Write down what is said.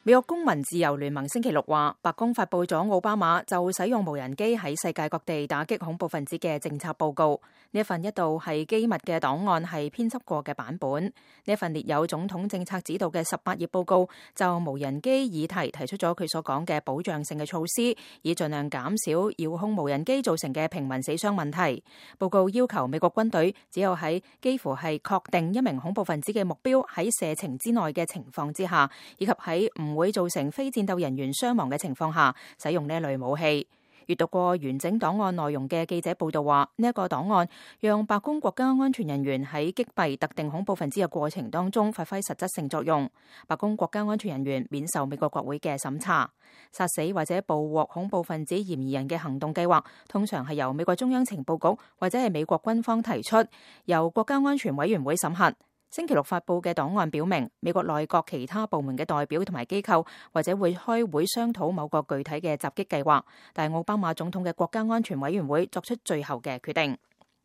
美國公民自由聯盟星期六話，白宮發佈咗奧巴馬就使用無人機喺世界各地打擊恐怖分子嘅政策報告。呢一份一度係機密嘅檔案係編輯過嘅版本。呢一份列有總統政策指導嘅18頁報告，就無人機議題提出咗佢所講嘅保障性嘅措施，以盡量減少遙控無人機造成嘅平民死傷問題。報告要求美國軍隊只有喺幾乎係確定一名恐怖分子嘅目標喺射程之內嘅情況之下，以及喺唔會造成非戰鬥人員傷亡嘅情況下，使用呢一類武器。閱讀過完整檔案內容嘅記者報道話，呢一個檔案讓白宮國家安全人員喺擊斃特定恐怖分子嘅過程當中發揮實質性作用。白宮國家安全人員免受美國國會嘅審查。殺死或者捕獲恐怖分子嫌疑人嘅行動計劃，通常係由美國中央情報局或者係美國軍方提出，由國家安全委員會審核。星期六發佈嘅檔案表明，美國內閣其他部門嘅代表同埋機構或者會開會商討某個具體嘅襲擊計劃，但係奧巴馬總統嘅國家安全委員會作出最後嘅決定。